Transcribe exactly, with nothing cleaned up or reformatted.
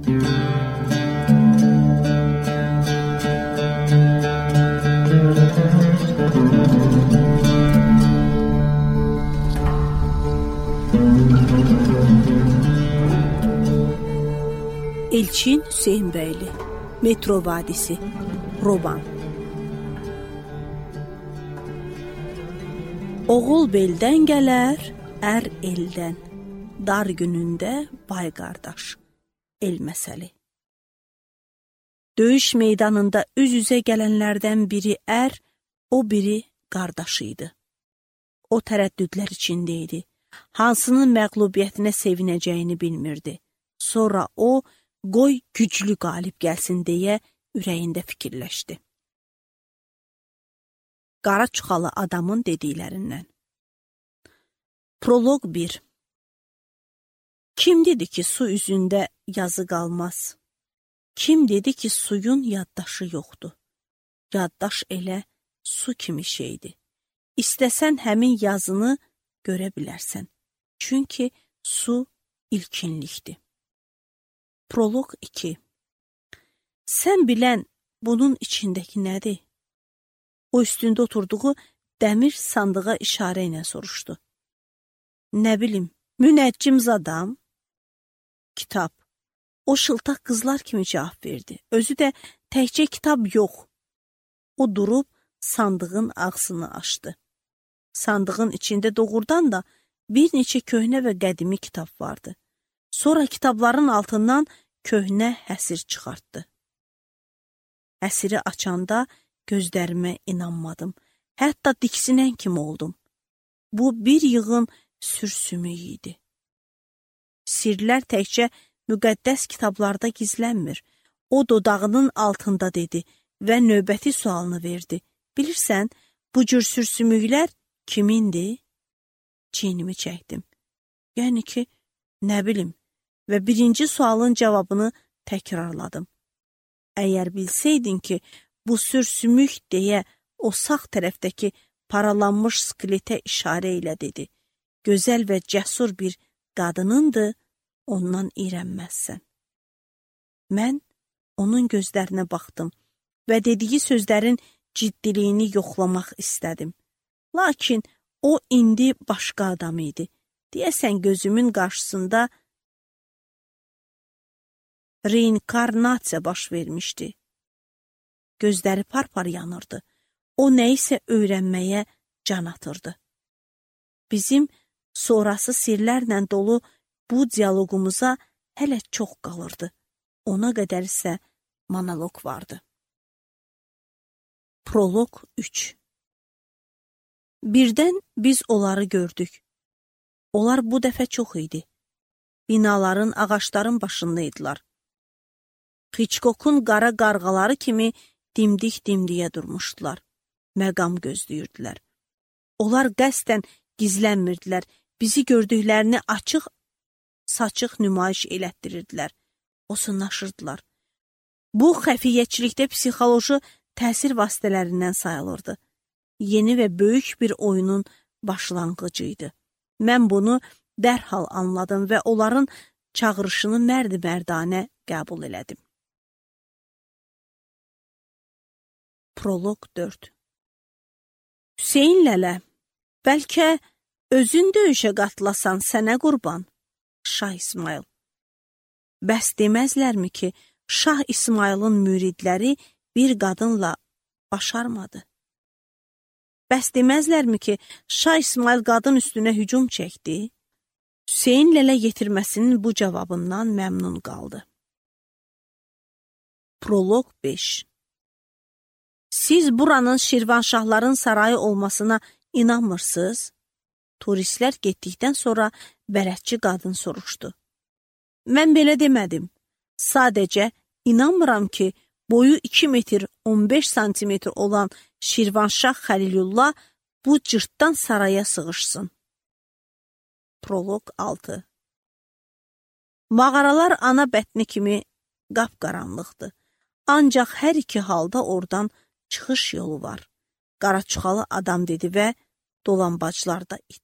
Elçin Hüseynbəyli, Metro Vadisi, Roman. Oğul beldən gələr, ər eldən, dar günündə bay qardaş, el məsəli. Döyüş meydanında üz-üzə gələnlərdən biri ər, o biri qardaşı idi. O tərəddüdlər içində idi. Hansının məğlubiyyətinə sevinəcəyini bilmirdi. Sonra o, qoy güclü qalib gəlsin deyə ürəyində fikirləşdi. Qara çuxalı adamın dediklərindən. Proloq bir. Kim dedi ki, su üzündə yazı qalmaz? Kim dedi ki, suyun yaddaşı yoxdur? Yaddaş elə su kimi şeydir. İstəsən həmin yazını görə bilərsən. Çünki su ilkinlikdir. Proloq iki. Sən bilən bunun içindəki nədir? O üstündə oturduğu dəmir sandığa işarə ilə soruşdu. Nə bilim, münəccim adam? Kitab. O şıltaq qızlar kimi cavab verdi. Özü də təkcə kitab yox. O durub sandığın ağzını açdı. Sandığın içində doğrudan da bir neçə köhnə və qədimi kitab vardı. Sonra kitabların altından köhnə həsir çıxartdı. Həsiri açanda gözlərimə inanmadım. Hətta diksinən kimi oldum. Bu bir yığın sürsümük idi. Sirlər təkcə müqəddəs kitablarda gizlənmir. O dodağının altında dedi və növbəti sualını verdi. Bilirsən, bu cür sürsümüklər kimindir? Çiynimi çəkdim. Yəni ki, nə bilim. Və birinci sualın cavabını təkrarladım. Əgər bilsəydin ki, bu sürsümük deyə o sağ tərəfdəki paralanmış skeletə işarə ilə dedi. Gözəl və cəsur bir qadınındır, ondan iyrənməzsən. Mən onun gözlərinə baxdım və dediyi sözlərin ciddiliyini yoxlamaq istədim. Lakin o indi başqa adam idi. Deyəsən gözümün qarşısında reinkarnasiya baş vermişdi. Gözləri par-par yanırdı. O nəyisə öyrənməyə can atırdı. Bizim sonrası sirlərlə dolu bu dialoqumuza hələ çox qalırdı. Ona qədər isə monoloq vardı. Proloq üç. Birdən biz onları gördük. Onlar bu dəfə çox idi. Binaların, ağaçların başındaydılar. Hitchcock'un qara qarğaları kimi dimdik-dimdiyə durmuşdular. Məqam gözləyirdilər. Onlar qəsdən gizlənmirdilər. Bizi gördüklərini açıq, saçıq nümayiş elətdirirdilər. Osunlaşırdılar. Bu, xəfiyyəçilikdə psixoloji təsir vasitələrindən sayılırdı. Yeni və böyük bir oyunun başlanğıcı idi. Mən bunu dərhal anladım və onların çağırışını mərd-mərdanə qəbul elədim. Proloq dörd. Hüseyn lələ, bəlkə özün döyüşə qatılasan sənə qurban? Şah İsmayıl. Bəs deməzlərmi ki, Şah İsmayılın müridləri bir qadınla başarmadı? Bəs deməzlərmi ki, Şah İsmayıl qadın üstünə hücum çəkdi? Hüseyn lələ yetirməsinin bu cavabından məmnun qaldı. Proloq beş. Siz buranın Şirvanşahların sarayı olmasına inanmırsınız? Turistlər getdikdən sonra bələdçi qadın soruşdu. Mən belə demədim. Sadəcə inanmıram ki, boyu iki metr on beş santimetr olan Şirvanşah Xəlilullah bu cırtdan saraya sığışsın. Proloq altı. Mağaralar ana bətni kimi qapqaranlıqdır. Ancaq hər iki halda oradan çıxış yolu var. Qaraçuxalı adam dedi və dolambaclarda it